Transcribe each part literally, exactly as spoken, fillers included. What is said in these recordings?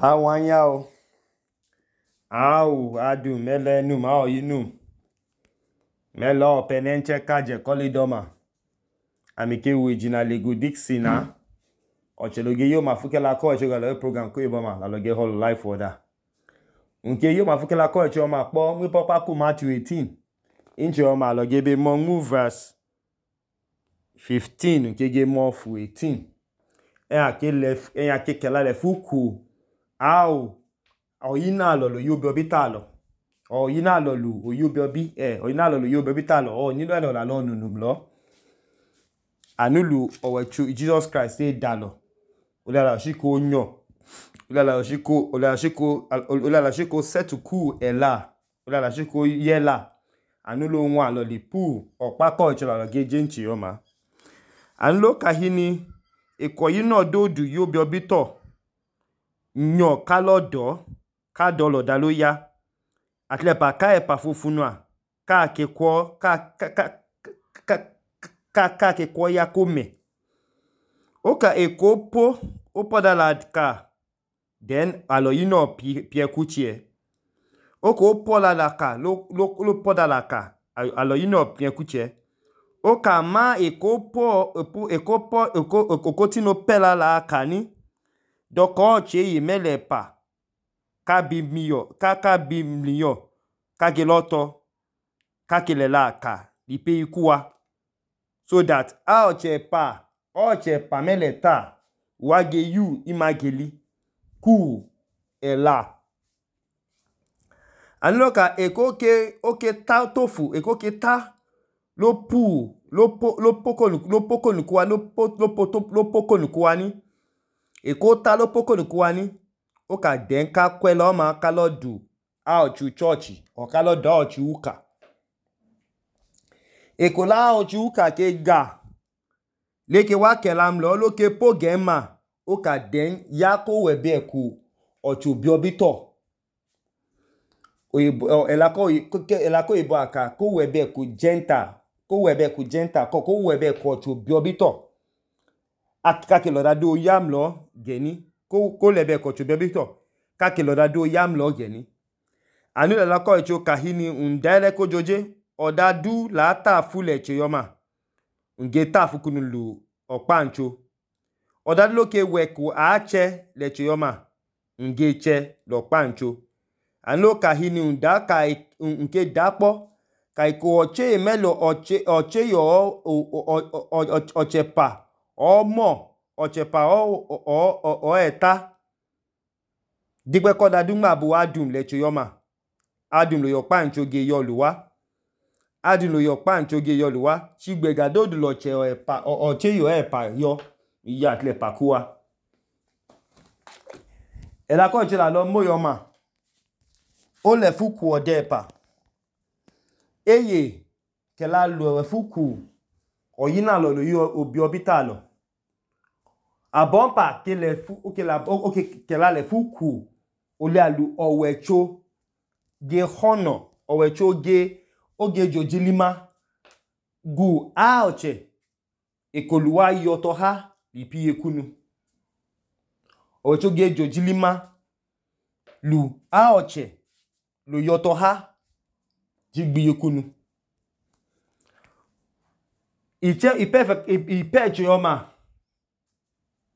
Awanyao, au adu mele num ao yinum. Mele ope nenche kaje kolidoma. Amike wijina lego dixina. Ocheloge yo mafukela ko eche galo program ko iboma la loge hall life oda. Unke yo mafukela ko eche oma po mwi popa ku Matthew eighteen. Inche oma loge be mo mu verse fifteen unke ge mo fu eighteen. Eya ke lef eya ke kela le fuku. Au oyina lo lo yobi obitalo. Oyina lo lo yobi obi eh oyina lo lo yobi obitalo. O ni lo lo la lo nunu blo. Anulu owechu Jesus Christ say dalo. Olala shiko nyo. Olala shiko olala shiko olala shiko setuku ela. Olala shiko yela. Anulu nwa lo li pu okpako eche lo ge jenchi yoma. Anlo kahini ekoyino dodu yobi obito. Nyo kalodo ka dolo dalo ya atlepa ka epa fufunua ka ke kwo ka ka ka ka ka ka ke kwo ya kome oka ekopo opodala ka then alo yino pi pi ekuchie oko opola la ka lo lo lo podala ka alo yino pi ekuchie oka ma ekopo epo ekopo eko okotino pela la ka ni doko che yi mele pa ka bimiyo ka ka bimiyo ka geloto ka kelela ka ipe ikuwa so that a oche pa oche pa mele ta wage yu imageli ku ela anloka ekoke oke ta tofu ekoke ta lo pu lo po lo poko lo poko nukuwa lo po lo poto lo poko nukuwa ni eko ta lo poko nukuwa ni oka den ka kwela oma ka lo du a ochu church o ka lo do ochu uka eko la ochu uka ke ga leke wa kelam lo lo ke po gema oka den ya ko webe ku ochu biobito oyibo elako elako ibo aka ko webe ku genta ko webe ku genta ko ko webe ku ochu biobito akika ke lo da do yam lo geni ko ko lebe ko ochu biobito ka ke lo da do yam lo geni anu la ko echo kahini undele ko joje odadu la ta fule che yoma unge ta fukunu lu opancho odadu lo ke weku ache le che yoma unge che lo pancho anu kahini undaka unke dapo kai ko oche melo oche oche yo oche pa omo oche pa o o o eta digbe ko dadu ma bu adum le che yoma adum lo yo pancho ge yo luwa adum lo yo pancho ge yo luwa chigbe ga dodu lo che epa oche yo epa yo iya tle pakuwa ela ko che la lo mo yoma o le fuku ode pa eye ke la lo fuku oyina lo lo yo obi obitalo abompa ke le fu o ke la o ke ke la le fuku o le alu owecho ge hono owecho ge oge jojilima gu aoche ekoluwa yoto ha ipi ekunu owecho ge jojilima lu aoche lo yoto ha jigbi ekunu iche ipe ipe chioma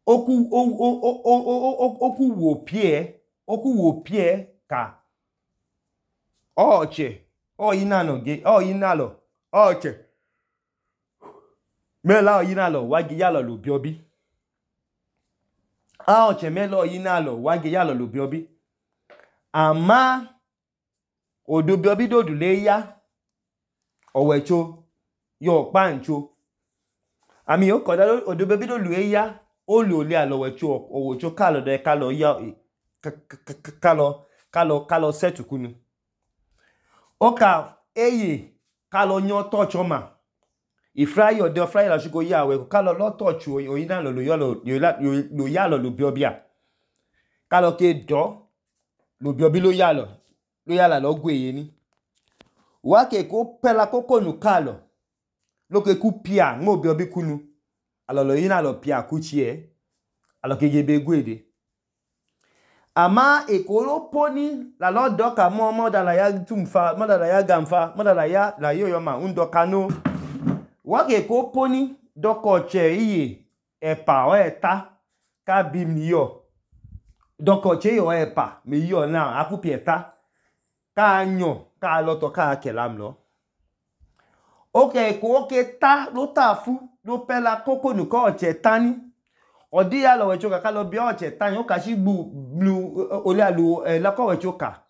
oku o o o oku wo pie oku wo pie ka oche oyina no ge oyina lo oche mela oyina lo wagi yalo lo biobi a oche mela oyina lo wagi yalo lo biobi ama odo biobi dodu le ya owecho yo pancho ami o koda odo biobi do lu e ya o lo le alo wecho owecho ka lo de ka lo ya ka lo ka lo ka lo setu kunu oka eye ka lo yan touch oma ifrai ode frai la shiko ya we ka lo lo touch oyina lo lo yo lo lo ya lo lo biobia ka lo ke do lo biobi lo ya lo lo ya la lo gweye ni wa ke ko pela koko nu ka lo lo ke ku pia mo biobi kunu alo lo yina lo pia kuchie alo ke gebe gwede ama ekolo poni la lo doka mo mo da la ya tumfa mo da la ya gamfa mo da la ya la yo yo ma undoka no wa ke ko poni doko che iye epa o eta ka bi mi yo doko che yo epa mi yo na akupi eta ka anyo ka lo to ka kelam lo okay ko ke ta lo ta fu lo pe la koko nu ko che tani odi ya lo we choka ka lo bi o che tani o ka shi gbu blu ole alu la ko we choka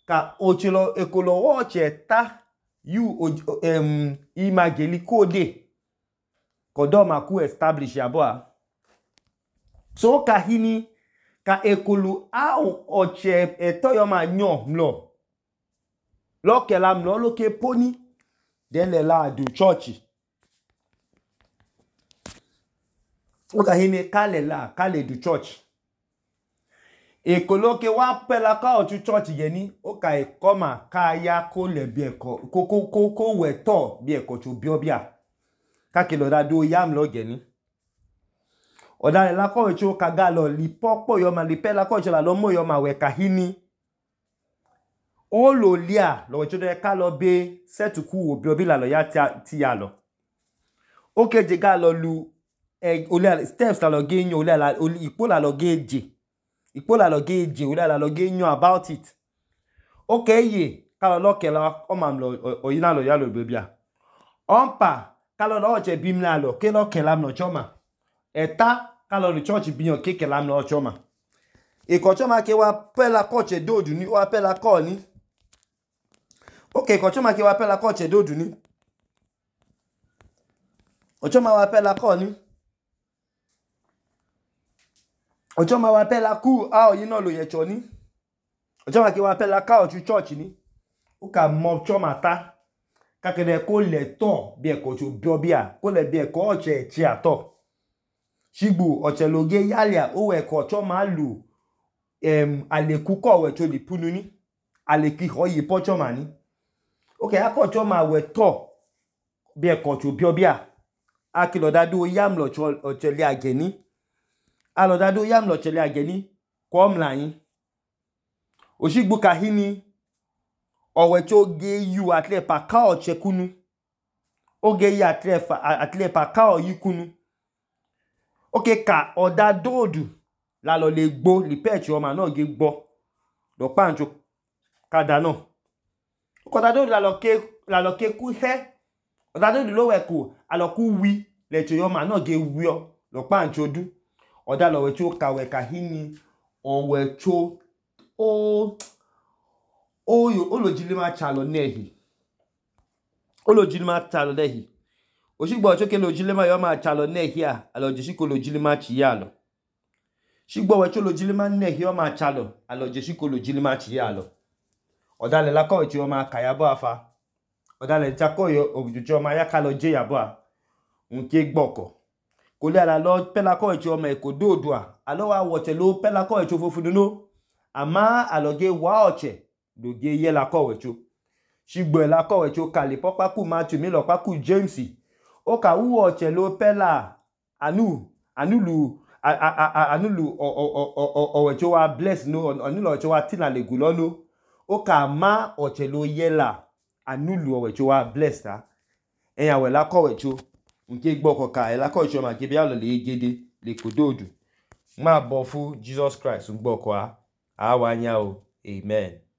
ka o che lo ekolo o che ta you um imageli code kodo ma ku establish abo so ka hini ka ekolo a o che eto yo ma nyo mlo lo kelam lo lo ke poni den le la du church o ka hini ka le la ka le du church ekolo ke wa pe la ka o tu church ye ni o ka e koma ka ya ko le bi eko ko ko ko ko we to bi eko chu bi obia ka ke lo da do yam lo ge ni o da le la ko we chu ka ga lo li popo yo ma li pe la ko chu la lo mo yo ma we ka hini o lo lia lo we chu de ka lo be setuku obi obi la lo ya ti ya lo o ke je ga lo lu e ole steps la lo ge yan ole la ipo la lo ge je ipo la lo ge je ole la lo ge yan about it okay ye ka lo lo ke la o ma lo oyina lo ya lo bebia onpa ka lo lo che bim la lo ke lo ke la no choma eta ka lo ni church bi yan ke ke la no choma e ko choma ke wa pe la ko che dodu ni wa pe la ko ni okay ko choma ke wa pe la ko che dodu ni o choma wa pe la ko ni o choma wa pe la ku a o yina lo ye cho ni o choma ke wa pe la ka o chu church ni o ka mo choma ta ka ke de ko le to bi e ko chu bi obia ko le bi e ko o che chi ato shigbu o che lo ge yalia o we ko choma lu em aleku ko we cho li punu ni aleki ho yi po choma ni okay ako choma we to bi e ko chu bi obia akilo dadu yam lo cho o che li ageni alo dadu yam lo che li ageni ko mlayin oshigbu ka hini owe cho ge yu atle pa ka o che kunu o ge ya atle fa atle pa ka o yi kunu okay ka oda dodu la lo le gbo li pechi o ma na ge gbo lo pancho kada no ko da dodu la lo ke la lo ke ku he oda dodu lo we ku alo ku wi le cho yo ma na ge wi o lo pancho du oda lo we cho ka we ka hini o we cho o o yo o lo jile ma cha lo nehi o lo jile ma cha lo nehi o shigbo cho ke lo jile ma yo ma cha lo nehi a alo je shi ko lo jile ma chi ya lo shigbo we cho lo jile ma nehi yo ma cha lo alo je shi ko lo jile ma chi ya lo oda le la ko chi o ma ka ya bo afa oda le ja ko yo ojujo ma ya ka lo je ya bo a nke gboko ko le ala lo pe la ko chi o ma e ko dodu a alo wa wo che lo pe la ko chi o fofu no ama alo ge wa oche do ge ye la ko we cho shigbo la ko we cho ka le popa ku Matthew mi lo pa ku James o ka wu oche lo pe la anu anulu anulu o o o o we cho wa bless no anulu o cho wa tina le gulo no o ka ma oche lo ye la anulu o we cho wa bless ta eyan we la ko we cho nke gboko ka e la ko cho ma ke bi alo le gede le kododu ma bo fu Jesus Christ gboko a a wa nya o amen.